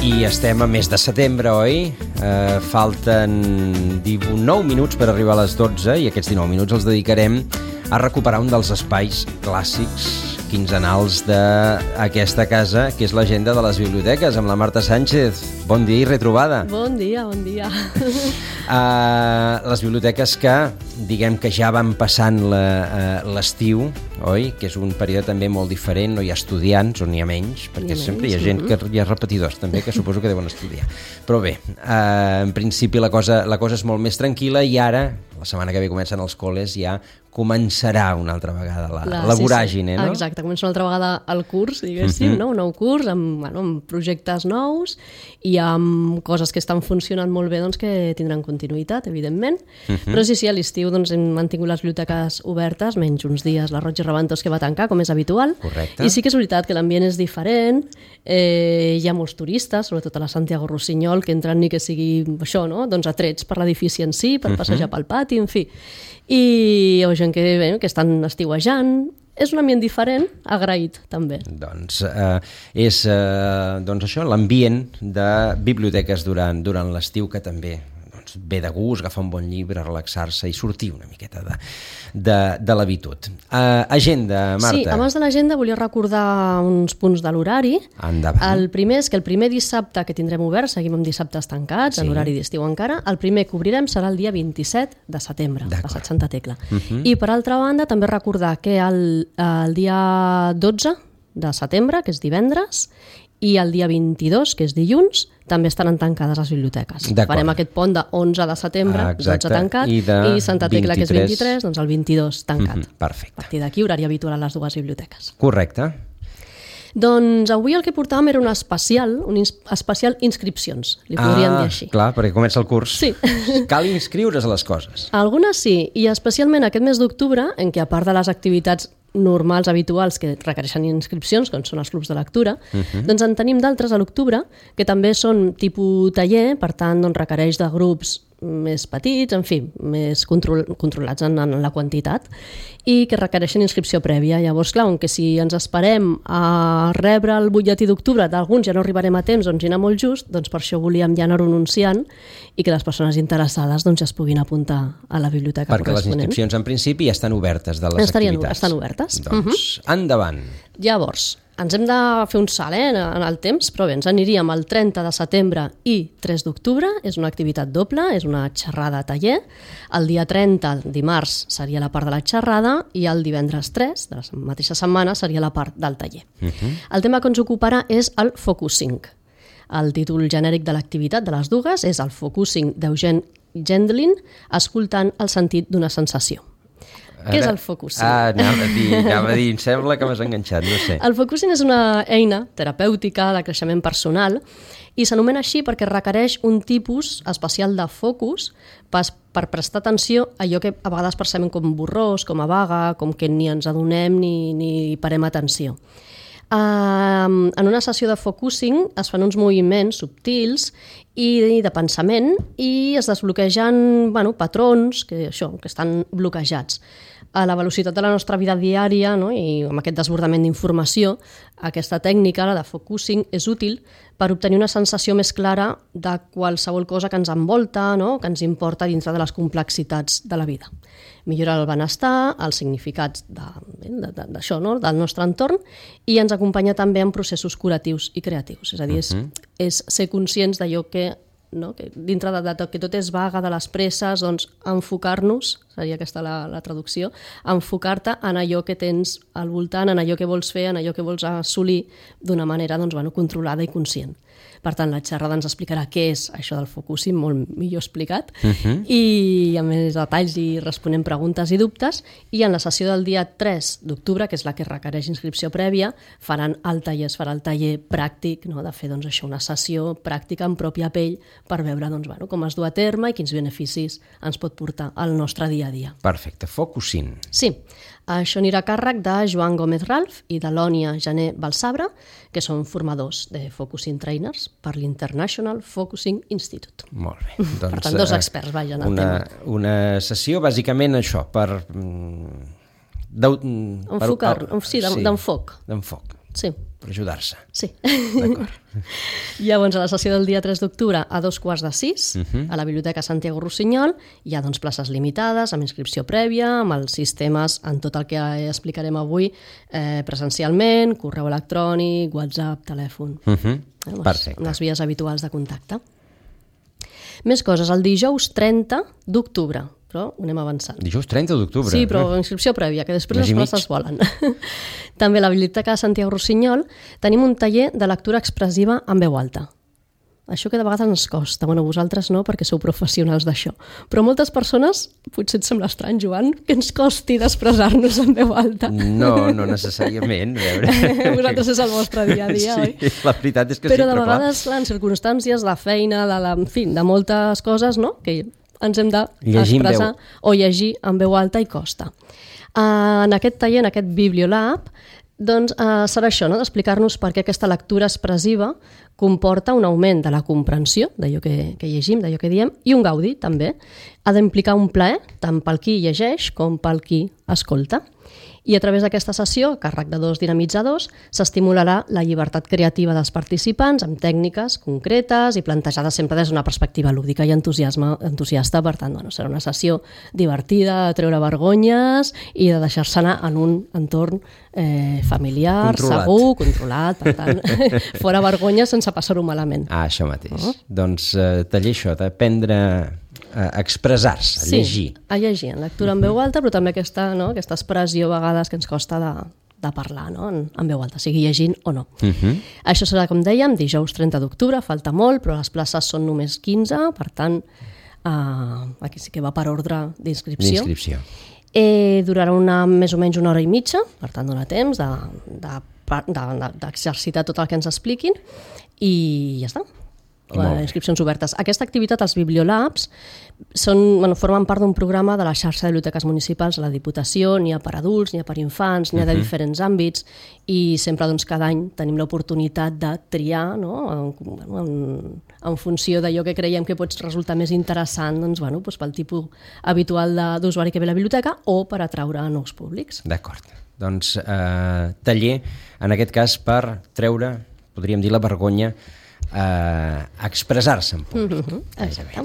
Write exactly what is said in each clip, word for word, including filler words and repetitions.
I estem a mes de setembre, oi? Eh, falten dinou minuts per arribar a les dotze i aquests dinou minuts els dedicarem a recuperar un dels espais clàssics quinzenals d'aquesta casa, que és l'agenda de les biblioteques, amb la Marta Sánchez. Bon dia i retrobada. Bon dia, bon dia. Uh, les biblioteques que, diguem que ja van passant l'estiu, oi? Que és un període també molt diferent, no hi ha estudiants o n'hi ha menys, perquè hi sempre hi ha gent que hi ha repetidors també, que suposo que deuen estudiar. Però bé, uh, en principi la cosa, la cosa és molt més tranquil·la i ara, la setmana que ve comencen els col·les, ja començarà una altra vegada la, la, la voràgine, sí, sí. No? Exacte, comença una altra vegada el curs, diguéssim, uh-huh. no? Un nou curs amb, bueno, amb projectes nous i amb coses que estan funcionant molt bé, doncs, que tindran continuïtat, evidentment. Uh-huh. Però sí, sí, a l'estiu doncs, hem mantingut les biblioteques obertes, menys uns dies la Roig i Reventós que va tancar, com és habitual. Correcte. I sí que és veritat que l'ambient és diferent, eh, hi ha molts turistes, sobretot a la Santiago Rossinyol, que entren ni que sigui això, no? Doncs atrets per l'edifici en si, per uh-huh. passejar pel pati, en fi. I hi ha gent que, bé, que estan estiuejant. És un ambient diferent, agraït també. Doncs eh, és eh, doncs això, l'ambient de biblioteques durant, durant l'estiu, que també doncs, ve de gust, agafar un bon llibre, relaxar-se i sortir una miqueta de, de, de l'habitud. Uh, agenda, Marta. Sí, abans de l'agenda volia recordar uns punts de l'horari. Endavant. El primer és que el primer dissabte que tindrem obert, seguim amb dissabtes tancats, sí. En l'horari d'estiu encara, el primer que obrirem serà el dia vint-i-set de setembre, passat Santa Tecla. Uh-huh. I per altra banda també recordar que el, el dia dotze de setembre, que és divendres, i el dia vint-i-dos, que és dilluns, també estaran tancades les biblioteques. Farem aquest pont de onze de setembre, ah, dotze tancat, i, i Santa Tecla, vint-i-tres, que és vint-i-tres, doncs el vint-i-dos tancat. Mm-hmm, perfecte. A partir d'aquí, horari habitual a les dues biblioteques. Correcte. Doncs avui el que portàvem era un especial, un ins- especial inscripcions, li podríem ah, dir així. Clar, perquè comença el curs. Sí. Cal inscriure's a les coses. Algunes sí, i especialment aquest mes d'octubre, en què a part de les activitats normals, habituals, que requereixen inscripcions, com són els clubs de lectura, uh-huh. doncs en tenim d'altres a l'octubre, que també són tipus taller, per tant doncs requereix de grups més petits, en fi, més control, controlats en, en la quantitat, i que requereixen inscripció prèvia. Llavors, clar, que si ens esperem a rebre el butlletí d'octubre d'alguns ja no arribarem a temps, doncs hi anar molt just, doncs per això volíem ja anar-ho anunciant i que les persones interessades doncs, ja es puguin apuntar a la biblioteca perquè corresponent. Les inscripcions en principi ja estan obertes de les Estarien, activitats. Estan obertes. Doncs uh-huh. endavant. Llavors, ens hem de fer un salt eh, en el temps, però bé, ens aniríem el trenta de setembre i tres d'octubre, és una activitat doble, és una xerrada taller. El dia trenta, dimarts, seria la part de la xerrada i el divendres tres, de la mateixa setmana, seria la part del taller. Uh-huh. El tema que ens ocuparà és el focusing. El títol genèric de l'activitat de les dues és el focusing d'Eugene Gendlin, escoltant el sentit d'una sensació. Què és el focusing? Ah, anava a dir, anava a dir, em sembla que m'has enganxat, no sé. El focusing és una eina terapèutica de creixement personal i s'anomena així perquè requereix un tipus especial de focus per, per prestar atenció a allò que a vegades percebem com borrós, com a vaga, com que ni ens adonem ni, ni parem atenció. Uh, en una sessió de focusing es fan uns moviments subtils i de pensament i es desbloquegen bueno, patrons que, això, que estan bloquejats. A la velocitat de la nostra vida diària, no? I amb aquest desbordament d'informació, aquesta tècnica, la de focusing, és útil per obtenir una sensació més clara de qualsevol cosa que ens envolta, no? Que ens importa dintre de les complexitats de la vida. Millora el benestar, els significats de, de, de, d'això, no? Del nostre entorn, i ens acompanya també en processos curatius i creatius. És a dir, és, uh-huh. és ser conscients d'allò que no? Que dintre de, de que tot és vaga, de les presses, doncs enfocar-nos, seria aquesta la, la traducció, enfocar-te en allò que tens al voltant, en allò que vols fer, en allò que vols assolir d'una manera doncs, bueno, controlada i conscient. Per tant, la xerrada ens explicarà què és això del focusing, molt millor explicat, uh-huh. i amb més detalls i responem preguntes i dubtes, i en la sessió del dia tres d'octubre, que és la que requereix inscripció prèvia, faran el taller, es farà el taller pràctic, no? De fer doncs, això, una sessió pràctica en pròpia pell per veure doncs, bueno, com es du a terme i quins beneficis ens pot portar al nostre dia a dia. Perfecte, focusing. Sí, això anirà a càrrec de Joan Gómez Ralf i de Lònia Jané Balsabre, que són formadors de Focusing Trainers per l'International Focusing Institute. Molt bé. Doncs, per tant, dos experts, vaja, en el una, tema. Una sessió, bàsicament, això, per... Enfocar, per, sí, d'enfoc. D'enfoc. Sí, per ajudar-se. Sí. D'acord. Llavors, a la sessió del dia tres d'octubre, a dos quarts de sis, uh-huh. a la Biblioteca Santiago Rossinyol, hi ha doncs, places limitades, amb inscripció prèvia, amb els sistemes, en tot el que explicarem avui, eh, presencialment, correu electrònic, WhatsApp, telèfon. Uh-huh. Eh, les, Perfecte. les vies habituals de contacte. Més coses, el dijous trenta d'octubre, però ho anem avançant. Dijous trenta d'octubre. Sí, però inscripció prèvia, que després Mes i les mig. places volen. També a la Biblioteca de Santiago Rossinyol tenim un taller de lectura expressiva en veu alta. Això que de vegades ens costa, bueno, vosaltres no, perquè sou professionals d'això, però moltes persones, potser et sembla estrany, Joan, que ens costi d'expressar-nos en veu alta. No, no necessàriament. A veure. Vosaltres és el vostre dia a dia, sí, oi? la veritat és que però sí, de però clar. vegades, clar, en circumstàncies de feina, de, la, en fi, de moltes coses, no?, que ens hem d'expressar o llegir en veu alta i costa. Uh, en aquest taller, en aquest Bibliolab, doncs uh, serà això, no?, d'explicar-nos per què aquesta lectura expressiva comporta un augment de la comprensió d'allò que, que llegim, d'allò que diem, i un gaudi, també. Ha d'implicar un plaer, tant pel qui llegeix com pel qui escolta. I a través d'aquesta sessió, a càrrec de dos dinamitzadors, s'estimularà la llibertat creativa dels participants amb tècniques concretes i plantejades sempre des d'una perspectiva lúdica i entusiasme, entusiasta. Per tant, bueno, serà una sessió divertida, de treure vergonyes i de deixar-se anar en un entorn eh, familiar, controlat. segur, controlat, per tant, fora vergonyes sense passar-ho malament. Ah, això mateix. Uh-huh. Doncs eh, taller això, d'aprendre a expressar-se, a sí, llegir. a llegir, en lectura en veu alta, però també aquesta, no, aquesta expressió a vegades que ens costa de, de parlar, no? en, en veu alta, sigui llegint o no. Uh-huh. Això serà, com dèiem, dijous trenta d'octubre, falta molt, però les places són només quinze, per tant, eh, aquí sí que va per ordre d'inscripció. D'inscripció. Eh, durarà una, més o menys una hora i mitja, per tant, dona temps de, de, de, de, d'exercitar tot el que ens expliquin i ja està. Les inscripcions obertes. Aquesta activitat, els Bibliolabs, són, bueno, formen part d'un programa de la xarxa de biblioteques municipals de la Diputació, n'hi ha per adults, n'hi ha per infants, n'hi ha de diferents àmbits, i sempre doncs, cada any tenim l'oportunitat de triar, no? en, en, en funció d'allò que creiem que pot resultar més interessant doncs, bueno, doncs, pel tipus habitual de, d'usuari que ve a la biblioteca o per atraure nous públics. D'acord. Doncs eh, taller, en aquest cas, per treure, podríem dir, la vergonya a expressar-se en públic. Uh-huh, exacte.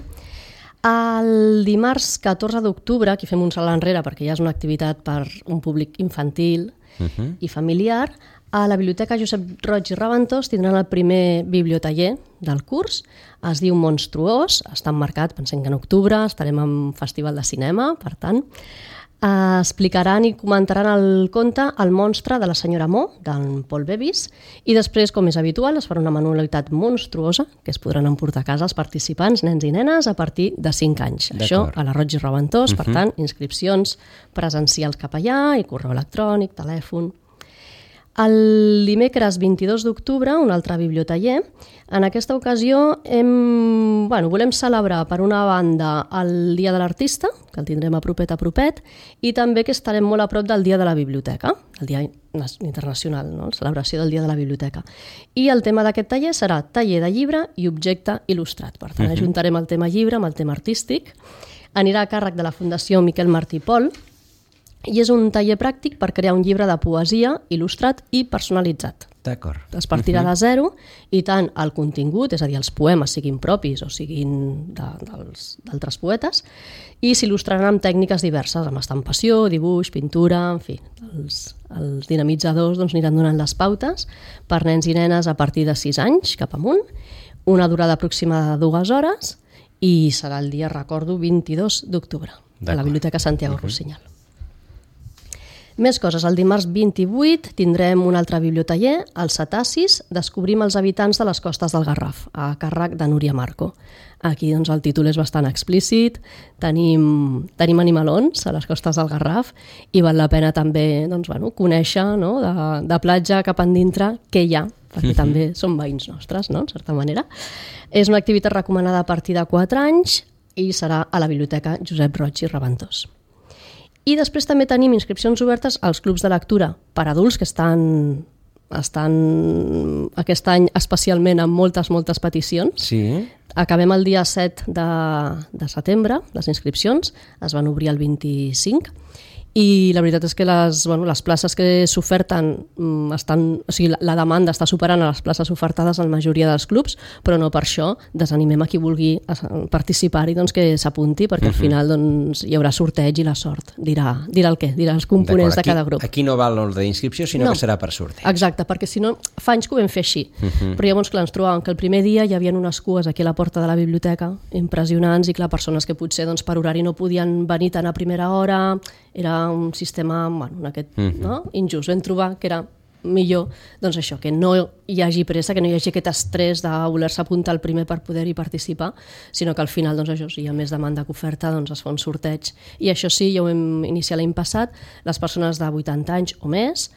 El dimarts catorze d'octubre, aquí fem un salt enrere perquè ja és una activitat per un públic infantil uh-huh. i familiar, a la Biblioteca Josep Roig i Raventós tindran el primer bibliotaller del curs. Es diu Monstruós, està emmarcat, pensem que en octubre estarem en Festival de Cinema, per tant, Uh, explicaran i comentaran el conte El monstre de la senyora Mo, d'en Paul Bevis, i després, com és habitual, es farà una manualitat monstruosa que es podran emportar a casa els participants, nens i nenes, a partir de cinc anys. Això a la Roig i Raventós, uh-huh. per tant, inscripcions presencials cap allà i correu electrònic, telèfon. El dimecres vint-i-dos d'octubre, un altre bibliotaller. En aquesta ocasió hem, bueno, volem celebrar, per una banda, el Dia de l'Artista, que el tindrem a propet a propet, i també que estarem molt a prop del Dia de la Biblioteca, el Dia Internacional, no? La celebració del Dia de la Biblioteca. I el tema d'aquest taller serà taller de llibre i objecte il·lustrat. Per tant, uh-huh. ajuntarem el tema llibre amb el tema artístic. Anirà a càrrec de la Fundació Miquel Martí i Pol, i és un taller pràctic per crear un llibre de poesia il·lustrat i personalitzat. D'acord. Es partirà de zero i tant el contingut, és a dir, els poemes, siguin propis o siguin de, dels, d'altres poetes, i s'il·lustraran amb tècniques diverses, amb estampació, dibuix, pintura, en fi, els, els dinamitzadors doncs, aniran donant les pautes per nens i nenes a partir de sis anys cap amunt, una durada aproximada de dues hores, i serà el dia, recordo, vint-i-dos d'octubre, a la Biblioteca Santiago uh-huh. Rossinyol. Més coses. El dimarts vint-i-vuit tindrem un altre bibliotaller, els Cetacis, descobrim els habitants de les costes del Garraf, a càrrec de Núria Marco. Aquí doncs, el títol és bastant explícit, tenim, tenim animalons a les costes del Garraf i val la pena també doncs, bueno, conèixer, no, de, de platja cap endintre què hi ha, perquè també són veïns nostres, no, en certa manera. És una activitat recomanada a partir de quatre anys i serà a la Biblioteca Josep Roig i Raventós. I després també tenim inscripcions obertes als clubs de lectura per adults que estan, estan aquest any especialment amb moltes, moltes peticions. Sí. Acabem el dia set de, de setembre, les inscripcions es van obrir el vint-i-cinc, i la veritat és que les, bueno, les places que s'oferten estan, o sigui, la, la demanda està superant a les places ofertades en la majoria dels clubs, però no per això desanimem a qui vulgui participar-hi, doncs que s'apunti, perquè al final doncs, hi haurà sorteig i la sort dirà, dirà el què, dirà els components de cada grup. Aquí no val l'ordre d'inscripció, sinó no. que serà per sorteig. Exacte, perquè si no, fa anys que ho vam fer així, uh-huh. però llavors clar, ens trobàvem que el primer dia hi havia unes cues aquí a la porta de la biblioteca impressionants i clar, persones que potser doncs, per horari no podien venir tant a primera hora, era un sistema bueno, aquest, uh-huh. no? injust. Vam trobar que era millor doncs això, que no hi hagi pressa, que no hi hagi aquest estrès de voler-se apuntar al primer per poder-hi participar, sinó que al final, doncs això, si hi ha més demanda que oferta, doncs es fa un sorteig. I això sí, ja ho vam iniciar l'any passat, les persones de vuitanta anys o més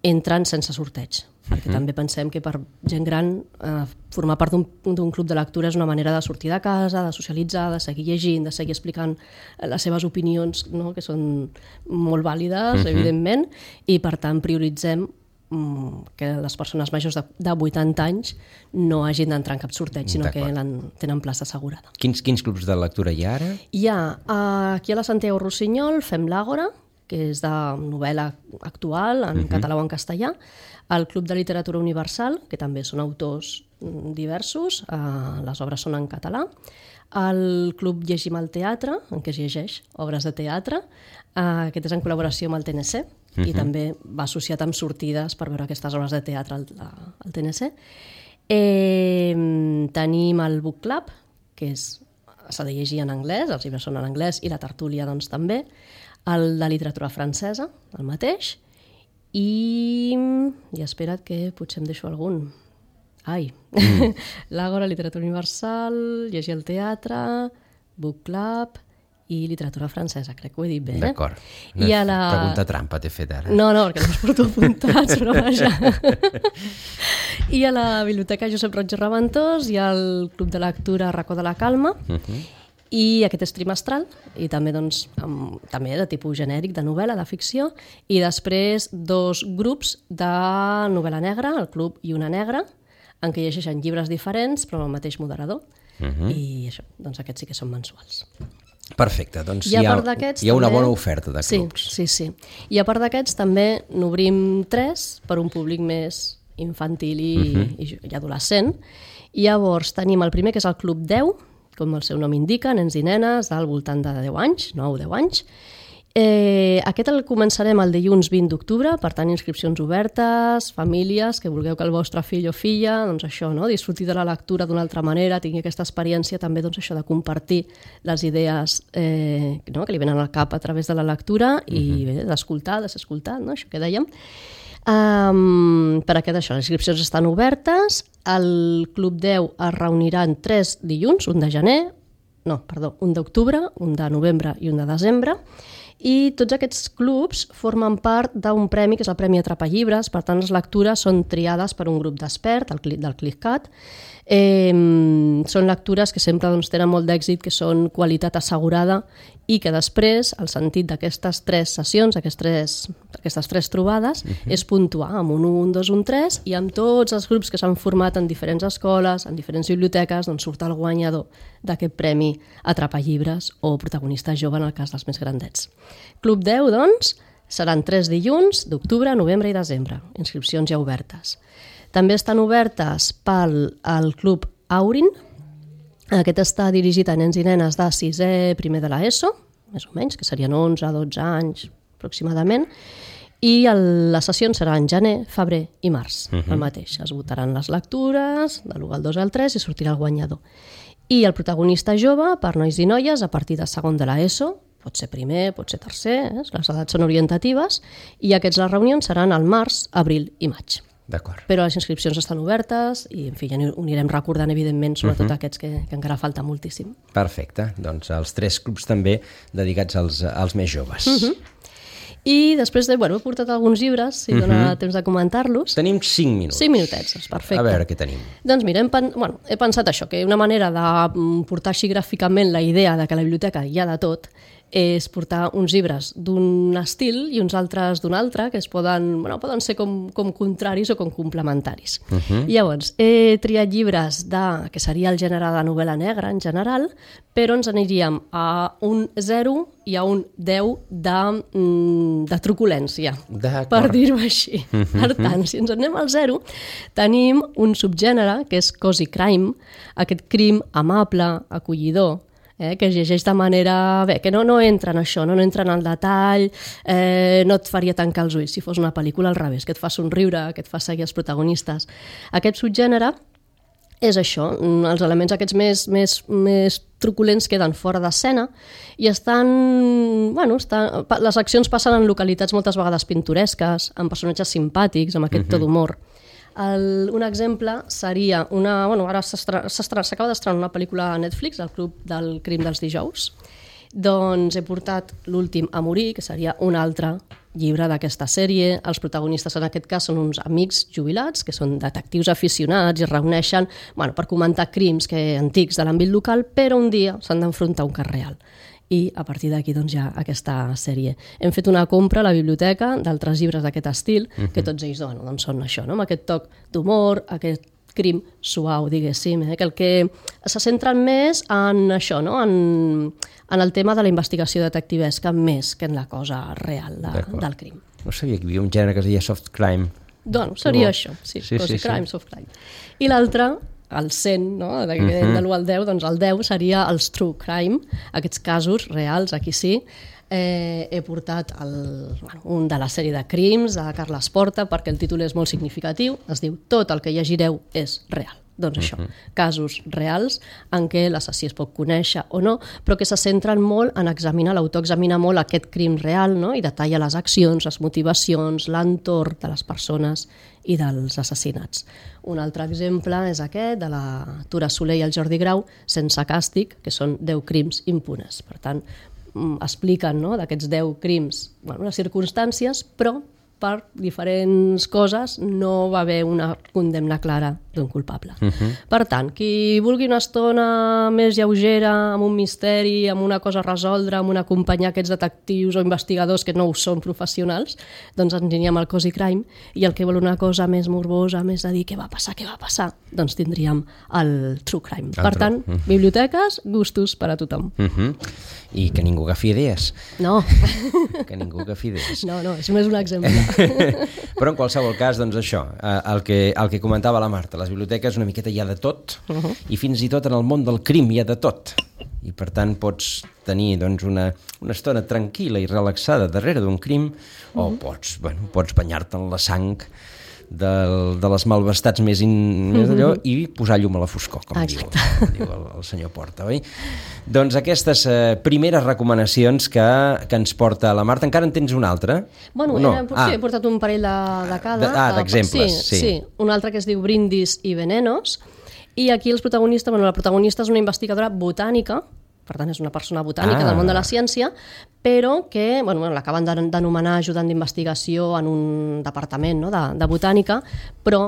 entren sense sorteig, perquè uh-huh. també pensem que per gent gran eh, formar part d'un club de lectura és una manera de sortir de casa, de socialitzar, de seguir llegint, de seguir explicant les seves opinions, no? que són molt vàlides, uh-huh. evidentment, i per tant prioritzem que les persones majors de, de vuitanta anys no hagin d'entrar en cap sorteig, sinó que tenen plaça assegurada. Quins, quins clubs de lectura hi ha ara? Hi ha, aquí a la Santiago Rossinyol fem l'Àgora, que és de novel·la actual, en uh-huh. català o en castellà, el Club de Literatura Universal, que també són autors diversos, eh, les obres són en català, el Club Llegim al Teatre, en què es llegeix obres de teatre, eh, aquest és en col·laboració amb el T N C, uh-huh. i també va associat amb sortides per veure aquestes obres de teatre al, al T N C. Eh, tenim el Book Club, que s'ha de llegir en anglès, els llibres són en anglès, i la tertúlia doncs, també, el de literatura francesa, el mateix, i, i espera't que potser em deixo algun. Ai, mm. l'Àgora, literatura universal, llegir al teatre, Book Club i literatura francesa, crec que ho he dit bé. D'acord. Una I la... pregunta trampa t'he fet ara. No, no, perquè no els porto apuntats, però vaja. I a la Biblioteca Josep Roig i Reventós hi ha el Club de Lectura Racó de la Calma, uh-huh. i aquest és trimestral, i també, doncs, amb, també de tipus genèric, de novel·la, de ficció, i després dos grups de novel·la negra, el Club i una negra, en què llegeixen llibres diferents, però amb el mateix moderador, uh-huh. i això, doncs aquests sí que són mensuals. Perfecte, doncs hi ha, hi ha una bona oferta de clubs. Sí, sí, sí. I a part d'aquests també n'obrim tres per un públic més infantil i, uh-huh. i, i adolescent. I llavors tenim el primer, que és el Club deu, com el seu nom indica, nens i nenes al voltant de deu anys, nou o deu anys. Eh, aquest el començarem el dilluns vint d'octubre, per tant, inscripcions obertes, famílies que vulgueu que el vostre fill o filla, doncs això, no? disfruti de la lectura d'una altra manera, tingui aquesta experiència també doncs això de compartir les idees eh, no? que li venen al cap a través de la lectura i uh-huh. bé, d'escoltar, de ser escoltat, no? això que dèiem. Um, per aquest això, les inscripcions estan obertes, el Club deu es reunirà en tres dilluns, un de gener, no, perdó, un d'octubre, un de novembre i un de desembre, i tots aquests clubs formen part d'un premi que és el Premi Atrapallibres, per tant les lectures són triades per un grup d'experts del CLICCAT. Eh, són lectures que sempre doncs, tenen molt d'èxit, que són qualitat assegurada i que després el sentit d'aquestes tres sessions, aquestes tres, aquestes tres trobades, uh-huh. és puntuar amb un un, dos, un, tres, i amb tots els grups que s'han format en diferents escoles, en diferents biblioteques, doncs surt el guanyador d'aquest premi Atrapallibres o protagonista jove en el cas dels més grandets. Club deu, doncs, seran tres dilluns d'octubre, novembre i desembre, inscripcions ja obertes. També estan obertes pel el Club Aurin. Aquest està dirigit a nens i nenes de sisè, primer de l'ESO, més o menys, que serien onze, dotze anys aproximadament, i el, les sessions seran gener, febrer i març, uh-huh. el mateix. Es votaran les lectures, de l'u al dos al tres, i sortirà el guanyador. I el protagonista jove, per nois i noies, a partir de segon de l'ESO, pot ser primer, pot ser tercer, eh? les edats són orientatives, i aquests les reunions seran al març, abril i maig. D'acord. Però les inscripcions estan obertes i, en fi, ja ho anirem recordant, evidentment, sobretot uh-huh. aquests que, que encara falta moltíssim. Perfecte. Doncs els tres clubs també dedicats als, als més joves. Uh-huh. I després de, bueno, he portat alguns llibres, si uh-huh. dona temps de comentar-los. Tenim cinc minuts. Cinc minutets, és perfecte. A veure què tenim. Doncs mira, hem, pen... bueno, he pensat això, que una manera de portar així gràficament la idea de que a la biblioteca hi ha de tot és portar uns llibres d'un estil i uns altres d'un altre, que es poden, bueno, poden ser com, com contraris o com complementaris. Uh-huh. Llavors, he triat llibres de, que seria el gènere de novel·la negra en general, però ens aniríem a un zero i a un deu de, de truculència, per dir-ho així. Uh-huh. Per tant, si ens anem al zero, tenim un subgènere que és cozy crime, aquest crim amable, acollidor, Eh, que es llegeix de manera... Bé, que no, no entra en això, no, no entra en el detall, eh, no et faria tancar els ulls si fos una pel·lícula al revés, que et fa somriure, que et fa seguir els protagonistes. Aquest subgènere és això, els elements aquests més, més, més truculents queden fora d'escena i estan... Bueno, estan, les accions passen en localitats moltes vegades pintoresques, amb personatges simpàtics, amb aquest to d'humor. El, un exemple seria una... Bueno, ara s'acaba d'estrenar una pel·lícula a Netflix, El club del crim dels dijous. Doncs he portat L'últim a morir, que seria un altre llibre d'aquesta sèrie. Els protagonistes en aquest cas són uns amics jubilats, que són detectius aficionats i es reuneixen, bueno, per comentar crims que, antics de l'àmbit local, però un dia s'han d'enfrontar a un cas real. I a partir d'aquí doncs, hi ha aquesta sèrie. Hem fet una compra a la biblioteca d'altres llibres d'aquest estil, uh-huh. que tots ells bueno, doncs són això, no? Amb aquest toc d'humor, aquest crim suau, diguéssim, eh? Que el que se centren més en això, no? en, en el tema de la investigació detectivesca, més que en la cosa real de, del crim. No sabia que hi havia un gènere que es deia soft crime. Doncs seria això, sí, sí, sí, crime, sí. Soft crime. I l'altre, el cent, no? de, uh-huh. de l'u al deu, doncs el deu seria els true crime, aquests casos reals, aquí sí. Eh, he portat el, bueno, un de la sèrie de crims de Carles Porta, perquè el títol és molt significatiu, es diu Tot el que llegireu és real. Doncs això, uh-huh. casos reals en què l'assassí es pot conèixer o no, però que se centren molt en examinar, l'autor examina molt aquest crim real, no? I detalla les accions, les motivacions, l'entorn de les persones i dels assassinats. Un altre exemple és aquest, de la Tura Soler i el Jordi Grau, Sense càstig, que són deu crims impunes. Per tant, expliquen, no?, d'aquests deu crims, bueno, les circumstàncies, però per diferents coses no va haver una condemna clara d'un culpable. Uh-huh. Per tant, qui vulgui una estona més lleugera, amb un misteri, amb una cosa a resoldre, amb una companyia aquests detectius o investigadors que no ho són professionals, doncs ens aniríem al cozy crime, i el que vol una cosa més morbosa, més de dir què va passar, què va passar, doncs tindríem el true crime. El per tant, uh-huh. biblioteques, gustos per a tothom. Uh-huh. I que ningú agafi idees. No. Que ningú agafi idees. No, no, és només un exemple. Però en qualsevol cas, doncs això, el que, el que comentava la Marta, les biblioteques una miqueta hi ha de tot, uh-huh. i fins i tot en el món del crim hi ha de tot. I per tant pots tenir doncs, una, una estona tranquil·la i relaxada darrere d'un crim, uh-huh. o pots, bueno, pots banyar-te en la sang del, de les malvestats més, in, més allò, uh-huh. i posar llum a la foscor, com diu, com diu el, el senyor Porta, oi? Doncs aquestes eh, primeres recomanacions que, que ens porta la Marta. Encara en tens una altra? Bueno, no? era, ah. sí, he portat un parell de, de cada. De, ah, d'exemples, sí, sí. sí. Un altre que es diu Brindis i Venenos, i aquí els protagonistes, bueno, la protagonista és una investigadora botànica, per tant és una persona botànica ah. del món de la ciència, però que bueno, bueno, l'acaben d'anomenar ajudant d'investigació en un departament, no?, de, de botànica, però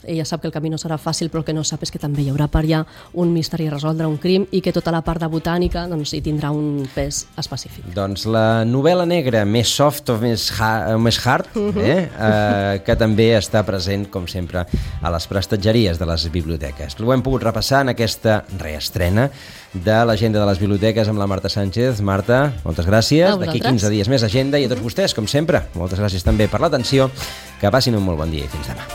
ella sap que el camí no serà fàcil, però el que no sap és que també hi haurà per allà un misteri a resoldre, un crim, i que tota la part de botànica doncs, hi tindrà un pes específic. Doncs la novel·la negra més soft o més, ha més hard, uh-huh. eh? Eh, que també està present, com sempre, a les prestatgeries de les biblioteques. Ho hem pogut repassar en aquesta reestrena de l'agenda de les biblioteques amb la Marta Sánchez. Marta, moltes gràcies. D'aquí quinze dies més agenda, i a tots vostès, com sempre, moltes gràcies també per l'atenció. Que passin un molt bon dia i fins demà.